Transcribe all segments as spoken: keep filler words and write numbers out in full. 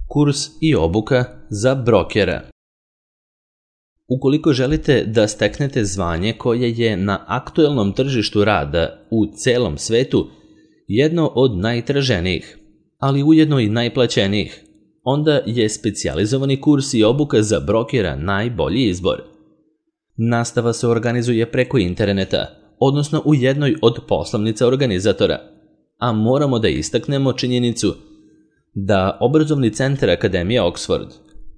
Kurs i obuka za brokera. Ukoliko želite da steknete zvanje koje je na aktuelnom tržištu rada u celom svetu jedno od najtraženijih, ali ujedno i najplaćenijih, onda je specijalizovani kurs i obuka za brokera najbolji izbor. Nastava se organizuje preko interneta, odnosno u jednoj od poslovnica organizatora, a moramo da istaknemo činjenicu da obrazovni centar Akademije Oxford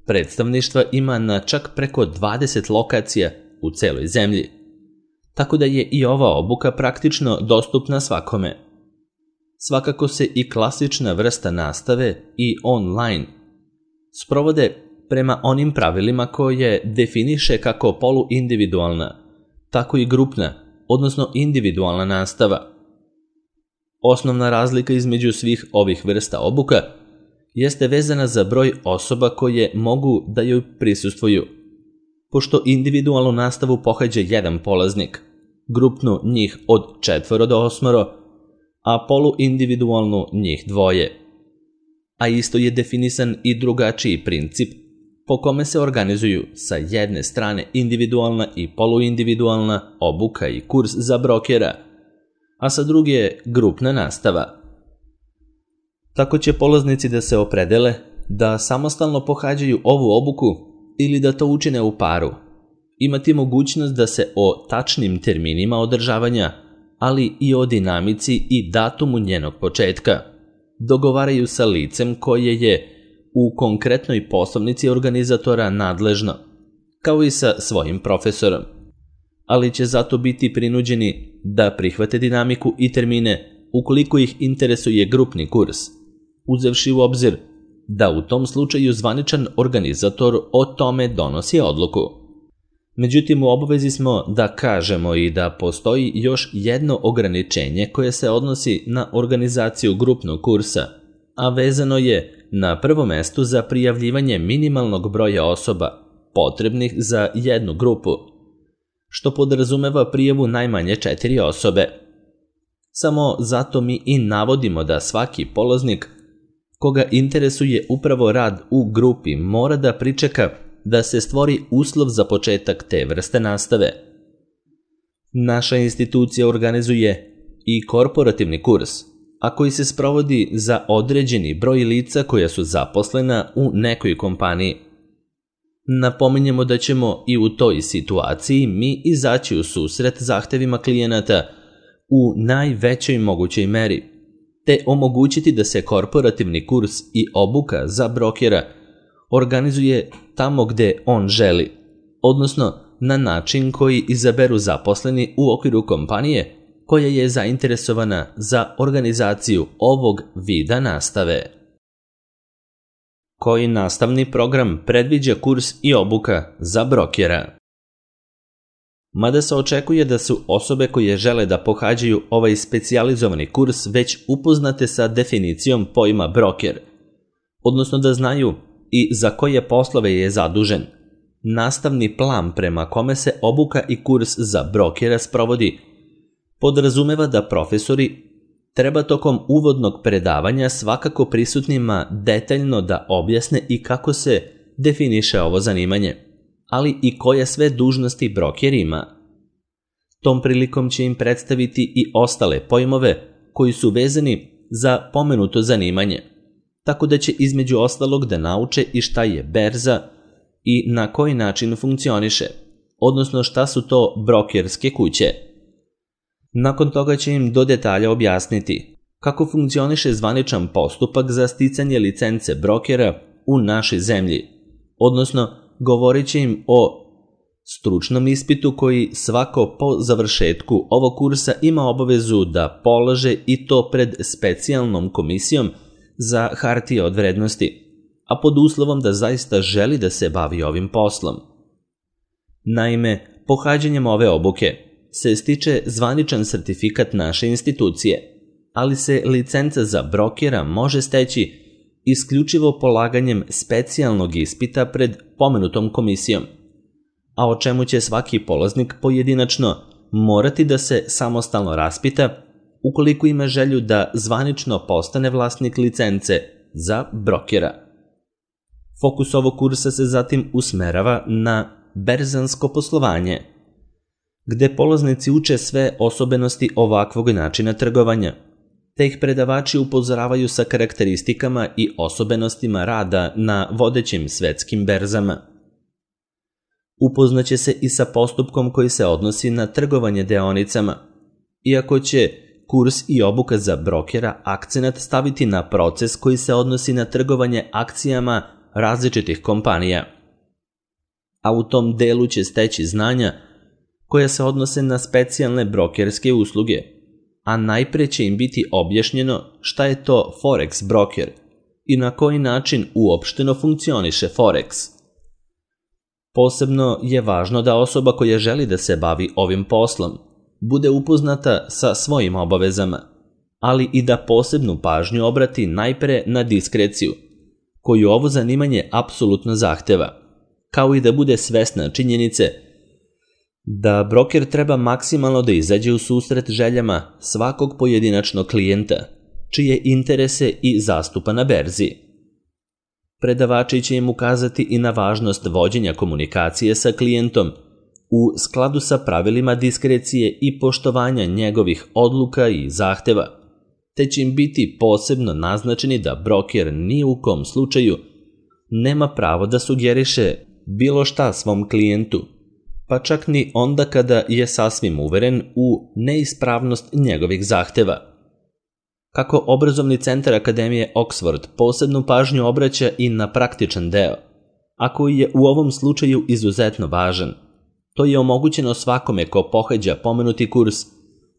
predstavništva ima na čak preko dvadeset lokacija u celoj zemlji, tako da je i ova obuka praktično dostupna svakome. Svakako se i klasična vrsta nastave i online sprovode prema onim pravilima koje definiše kako poluindividualna, tako i grupna, odnosno individualna nastava. Osnovna razlika između svih ovih vrsta obuka jeste vezana za broj osoba koje mogu da joj prisustvuju. Pošto individualnu nastavu pohađa jedan polaznik, grupnu njih od četvoro do osmoro, a poluindividualnu njih dvoje. A isto je definisan i drugačiji princip po kome se organizuju sa jedne strane individualna i poluindividualna obuka i kurs za brokera, a sa druge je grupna nastava. Tako će polaznici da se opredele da samostalno pohađaju ovu obuku ili da to učine u paru. Imati mogućnost da se o tačnim terminima održavanja, ali i o dinamici i datumu njenog početka dogovaraju sa licem koje je u konkretnoj poslovnici organizatora nadležno, kao i sa svojim profesorom, ali će zato biti prinuđeni da prihvate dinamiku i termine ukoliko ih interesuje grupni kurs, uzevši u obzir da u tom slučaju zvaničan organizator o tome donosi odluku. Međutim, u obavezi smo da kažemo i da postoji još jedno ograničenje koje se odnosi na organizaciju grupnog kursa, a vezano je na prvom mestu za prijavljivanje minimalnog broja osoba potrebnih za jednu grupu, što podrazumeva prijavu najmanje četiri osobe. Samo zato mi i navodimo da svaki polaznik koga interesuje upravo rad u grupi mora da pričeka da se stvori uslov za početak te vrste nastave. Naša institucija organizuje i korporativni kurs, a koji se sprovodi za određeni broj lica koja su zaposlena u nekoj kompaniji. Napominjemo da ćemo i u toj situaciji mi izaći u susret zahtevima klijenata u najvećoj mogućoj meri, te omogućiti da se korporativni kurs i obuka za brokera organizuje tamo gde on želi, odnosno na način koji izaberu zaposleni u okviru kompanije koja je zainteresovana za organizaciju ovog vida nastave. Koji nastavni program predviđa kurs i obuka za brokera? Mada se očekuje da su osobe koje žele da pohađaju ovaj specijalizovani kurs već upoznate sa definicijom pojma broker, odnosno da znaju i za koje poslove je zadužen. Nastavni plan prema kome se obuka i kurs za brokera sprovodi podrazumeva da profesori treba tokom uvodnog predavanja svakako prisutnima detaljno da objasne i kako se definiše ovo zanimanje, ali i koje sve dužnosti broker ima. Tom prilikom će im predstaviti i ostale pojmove koji su vezani za pomenuto zanimanje, tako da će između ostalog da nauče i šta je berza i na koji način funkcioniše, odnosno šta su to brokerske kuće. Nakon toga će im do detalja objasniti kako funkcioniše zvaničan postupak za sticanje licence brokera u našoj zemlji, odnosno govorit će im o stručnom ispitu koji svako po završetku ovog kursa ima obavezu da polaže i to pred specijalnom komisijom za hartije od vrednosti, a pod uslovom da zaista želi da se bavi ovim poslom. Naime, pohađanjem ove obuke se stiče zvaničan sertifikat naše institucije, ali se licenca za brokera može steći isključivo polaganjem specijalnog ispita pred pomenutom komisijom, a o čemu će svaki polaznik pojedinačno morati da se samostalno raspita ukoliko ima želju da zvanično postane vlasnik licence za brokera. Fokus ovog kursa se zatim usmerava na berzansko poslovanje, gde polaznici uče sve osobenosti ovakvog načina trgovanja, te ih predavači upozoravaju sa karakteristikama i osobenostima rada na vodećim svetskim berzama. Upoznaće se i sa postupkom koji se odnosi na trgovanje deonicama, iako će kurs i obuka za brokera akcenat staviti na proces koji se odnosi na trgovanje akcijama različitih kompanija. A u tom delu će steći znanja koja se odnose na specijalne brokerske usluge, a najpre će im biti objašnjeno šta je to Forex broker i na koji način uopšteno funkcioniše Forex. Posebno je važno da osoba koja želi da se bavi ovim poslom bude upoznata sa svojim obavezama, ali i da posebnu pažnju obrati najpre na diskreciju, koju ovo zanimanje apsolutno zahteva, kao i da bude svesna činjenice da broker treba maksimalno da izađe u susret željama svakog pojedinačnog klijenta, čije interese i zastupa na berzi. Predavači će im ukazati i na važnost vođenja komunikacije sa klijentom u skladu sa pravilima diskrecije i poštovanja njegovih odluka i zahteva, te će im biti posebno naznačeni da broker ni u kom slučaju nema pravo da sugeriše bilo šta svom klijentu, pa čak ni onda kada je sasvim uveren u neispravnost njegovih zahteva. Kako obrazovni centar Akademije Oxford posebnu pažnju obraća i na praktičan deo, a koji je u ovom slučaju izuzetno važan, to je omogućeno svakome ko pohađa pomenuti kurs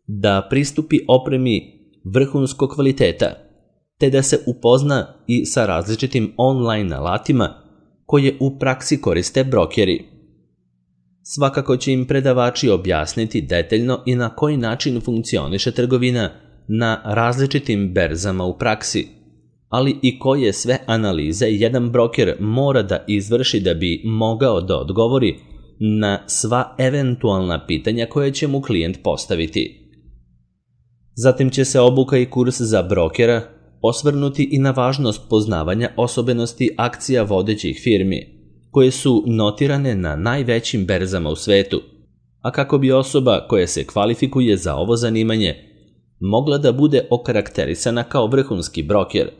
da pristupi opremi vrhunskog kvaliteta, te da se upozna i sa različitim online alatima koje u praksi koriste brokeri. Svakako će im predavači objasniti detaljno i na koji način funkcioniše trgovina na različitim berzama u praksi, ali i koje sve analize jedan broker mora da izvrši da bi mogao da odgovori na sva eventualna pitanja koje će mu klijent postaviti. Zatim će se obuka i kurs za brokera osvrnuti i na važnost poznavanja osobenosti akcija vodećih firmi, koje su notirane na najvećim berzama u svetu, a kako bi osoba koja se kvalifikuje za ovo zanimanje mogla da bude okarakterisana kao vrhunski broker.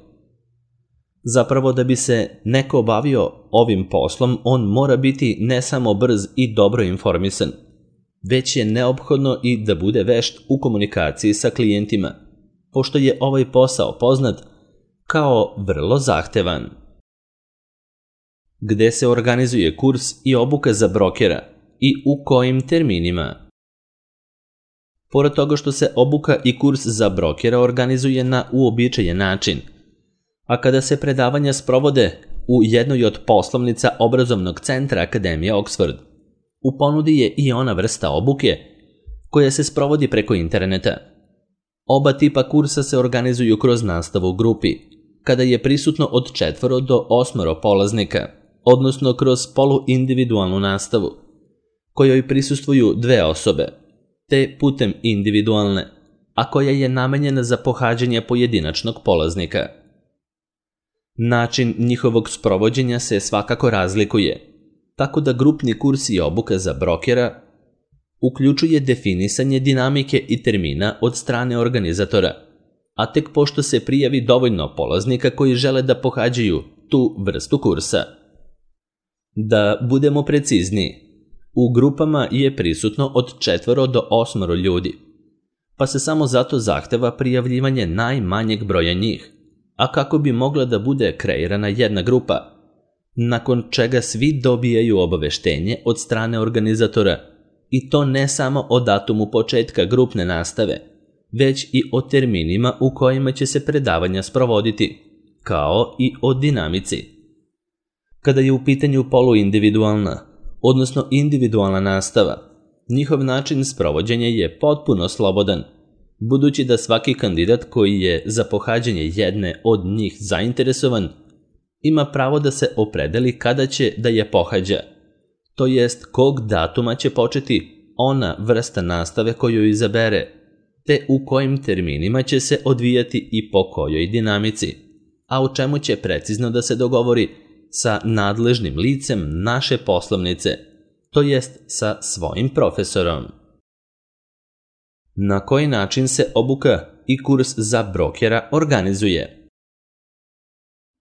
Zapravo, da bi se neko bavio ovim poslom, on mora biti ne samo brz i dobro informisan, već je neophodno i da bude vešt u komunikaciji sa klijentima, pošto je ovaj posao poznat kao vrlo zahtevan. Gde se organizuje kurs i obuka za brokera i u kojim terminima? Pored toga što se obuka i kurs za brokera organizuje na uobičajen način, a kada se predavanja sprovode u jednoj od poslovnica obrazovnog centra Akademije Oxford, u ponudi je i ona vrsta obuke koja se sprovodi preko interneta. Oba tipa kursa se organizuju kroz nastavu u grupi, kada je prisutno od četvoro do osmoro polaznika, odnosno kroz poluindividualnu nastavu, kojoj prisustvuju dve osobe, te putem individualne, a koja je namenjena za pohađanje pojedinačnog polaznika. Način njihovog sprovođenja se svakako razlikuje, tako da grupni kurs i obuka za brokera uključuje definisanje dinamike i termina od strane organizatora, a tek pošto se prijavi dovoljno polaznika koji žele da pohađaju tu vrstu kursa. Da budemo precizniji, u grupama je prisutno od četvoro do osmoro ljudi, pa se samo zato zahteva prijavljivanje najmanjeg broja njih, a kako bi mogla da bude kreirana jedna grupa, nakon čega svi dobijaju obaveštenje od strane organizatora, i to ne samo o datumu početka grupne nastave, već i o terminima u kojima će se predavanja sprovoditi, kao i o dinamici. Kada je u pitanju poluindividualna, odnosno individualna nastava, njihov način sprovođenja je potpuno slobodan, budući da svaki kandidat koji je za pohađanje jedne od njih zainteresovan ima pravo da se opredeli kada će da je pohađa, to jest kog datuma će početi ona vrsta nastave koju izabere, te u kojim terminima će se odvijati i po kojoj dinamici, a u čemu će precizno da se dogovori sa nadležnim licem naše poslovnice, to jest sa svojim profesorom. Na koji način se obuka i kurs za brokera organizuje?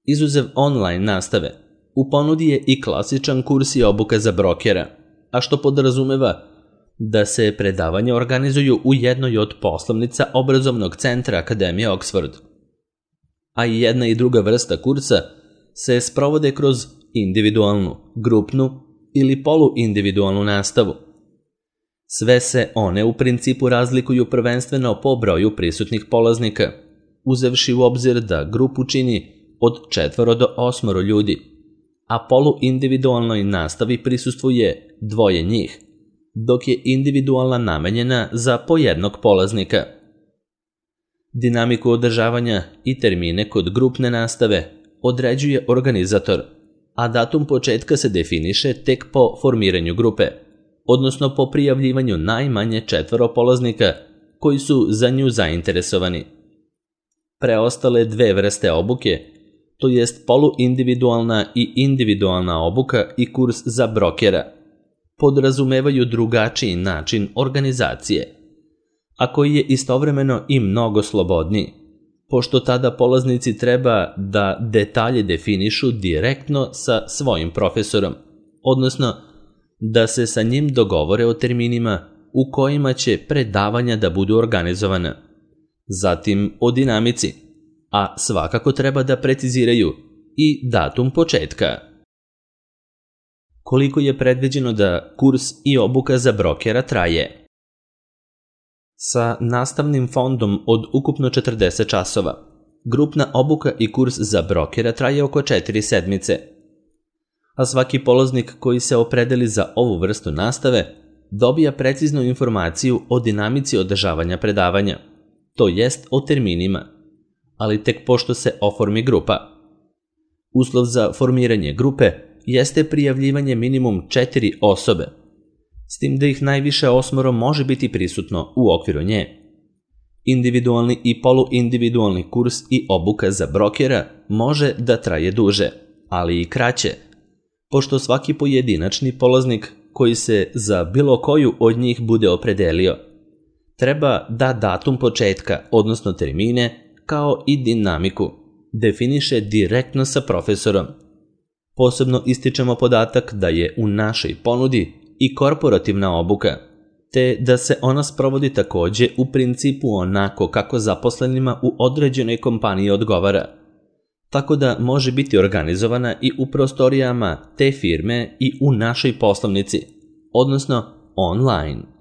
Izuzev online nastave, u ponudi je i klasičan kurs i obuka za brokera, a što podrazumeva da se predavanja organizuju u jednoj od poslovnica obrazovnog centra Akademije Oxford. A i jedna i druga vrsta kursa se sprovode kroz individualnu, grupnu ili poluindividualnu nastavu. Sve se one u principu razlikuju prvenstveno po broju prisutnih polaznika, uzevši u obzir da grupu čini od četvoro do osmoro ljudi, a poluindividualnoj nastavi prisustvuje dvoje njih, dok je individualna namenjena za po jednog polaznika. Dinamiku održavanja i termine kod grupne nastave određuje organizator, a datum početka se definiše tek po formiranju grupe, odnosno po prijavljivanju najmanje četvoro polaznika koji su za nju zainteresovani. Preostale dve vrste obuke, to jest poluindividualna i individualna obuka i kurs za brokera, podrazumevaju drugačiji način organizacije, a koji je istovremeno i mnogo slobodniji, pošto tada polaznici treba da detalje definišu direktno sa svojim profesorom, odnosno da se sa njim dogovore o terminima u kojima će predavanja da budu organizovana, zatim o dinamici, a svakako treba da preciziraju i datum početka. Koliko je predviđeno da kurs i obuka za brokera traje? Sa nastavnim fondom od ukupno četrdeset časova, grupna obuka i kurs za brokera traje oko četiri sedmice, a svaki polaznik koji se opredeli za ovu vrstu nastave dobija preciznu informaciju o dinamici održavanja predavanja, to jest o terminima, ali tek pošto se oformi grupa. Uslov za formiranje grupe jeste prijavljivanje minimum četiri osobe, s tim da ih najviše osmoro može biti prisutno u okviru nje. Individualni i poluindividualni kurs i obuka za brokera može da traje duže, ali i kraće, pošto svaki pojedinačni polaznik koji se za bilo koju od njih bude opredelio treba da datum početka, odnosno termine, kao i dinamiku, definiše direktno sa profesorom. Posebno ističemo podatak da je u našoj ponudi i korporativna obuka, te da se ona sprovodi takođe u principu onako kako zaposlenima u određenoj kompaniji odgovara, tako da može biti organizovana i u prostorijama te firme i u našoj poslovnici, odnosno online.